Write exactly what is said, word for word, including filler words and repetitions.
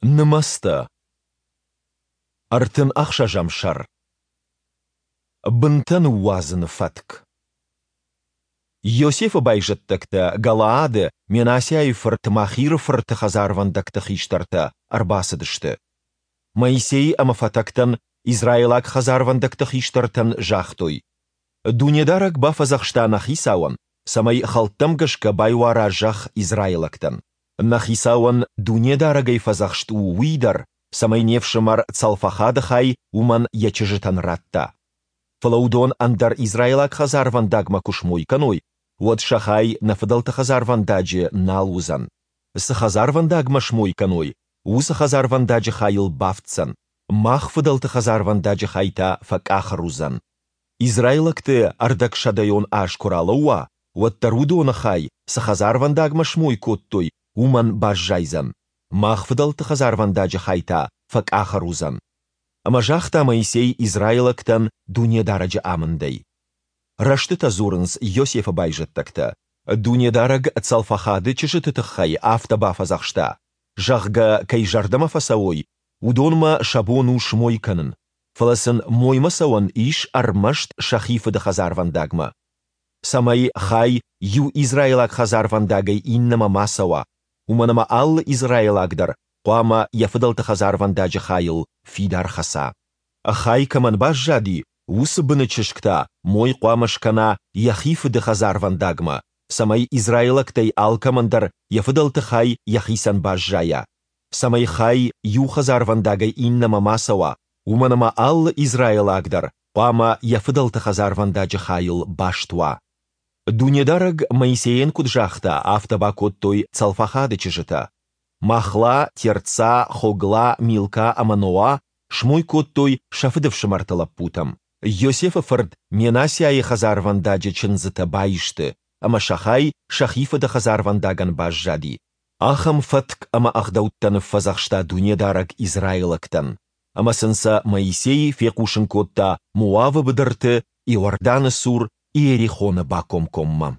Нымӕцтӕ. Ӕртын ӕхсӕзӕм сӕр. Бынтӕ ныууадзыны фӕтк. Йосефы байзӕддӕгтӕ, Галаады, Менассиайы фырт Махиры фырты хӕдзарвӕндӕгты хистӕртӕ, ӕрбацыдысты. Моисей ӕмӕ фӕтӕгтӕн, израилаг хӕдзарвӕндӕгты хистӕртӕн, загътой: Дунедарӕг бафӕдзӕхста нӕ хицауӕн, цӕмӕй хӕлттӕм гӕсгӕ байуара зӕхх израилӕгтӕн. Нӕ хицауӕн Дунедарӕгӕй фӕдзӕхст у уый дӕр, цӕмӕй не фсымӕр Цалфахады хай уымӕн йӕ чызджытӕн ратта. Фӕлӕ уыдон ӕндӕр израилаг хӕдзарвӕндагмӕ куы смой кӕной, уӕд сӕ хай нӕ фыдӕлты хӕдзарвӕндаджы нал уыдзӕн. Цы хӕдзарвӕндагмӕ смой кӕной, уыцы хӕдзарвӕндаджы хайыл бафтдзӕн, мах фыдӕлты хӕдзарвӕндаджы хай та фӕкъахыр уыдзӕн. Израилӕгты ӕрдӕгсӕдӕйон аз куы ралӕууа, уӕд дӕр уыдоны хай, цы хӕдзарвӕндагмӕ смой кодтой, уымӕн баззайдзӕн, мах фыдӕлты хӕдзарвӕндаджы хай та фӕкъахыр уыдзӕн. Ӕмӕ загъта Моисей израилӕгтӕн Дунедарӕджы амындӕй. Рӕстытӕ дзурынц Йосефы байзӕддӕгтӕ. Дунедарӕг Цалфахады чызджыты тыххӕй афтӕ бафӕдзӕхста, зӕгъгӕ, кӕй зӕрдӕмӕ фӕцӕуой, уыдонмӕ сӕ бон у смой кӕнын, фӕлӕ сын моймӕ цӕуӕн ис ӕрмӕст сӕхи фыды хӕдзарвӕндагмӕ. Цӕмӕй хай иу израилаг хӕдзарвӕндагӕй иннӕмӕ ма цӕуа, уымӕн ӕмӕ алы израилаг дӕр хъуамӕ йӕ фыдӕлты хӕдзарвӕндаджы хайыл фидар хӕца. Хай кӕмӕн баззади, уыцы быны чызг та мой хъуамӕ скӕна йӕхи фыды хӕдзарвӕндагмӕ, цӕмӕй израилӕгтӕй алкӕмӕн дӕр йӕ фыдӕлты хай йӕхицӕн баззайа, цӕмӕй хай иу хӕдзарвӕндагӕй иннӕмӕ ма цӕуа, уымӕн ӕмӕ алы израилаг дӕр хъуамӕ йӕ фыдӕлты хӕдзарвӕндаджы хайыл баст уа. Дунедарӕг Моисейӕн куыд загъта, афтӕ бакодтой Цалфахады чызджытӕ. Махла, Тирца, Хогла, Милка ӕмӕ Ноа смой кодтой сӕ фыдыфсымӕрты лӕппутӕм. Йосефы фырт Менассиайы хӕдзарвӕндаджы чындзытӕ баисты, ӕмӕ сӕ хай сӕхи фыды хӕдзарвӕндагӕн баззади. Ахӕм фӕтк ӕмӕ ӕгъдӕуттӕ ныффӕдзӕхста Дунедарӕг израилӕгтӕн, ӕмӕ сын сӕ Моисей фехъусын кодта Моавы быдырты, Иорданы цур, Иерихоны бакомкоммӕ.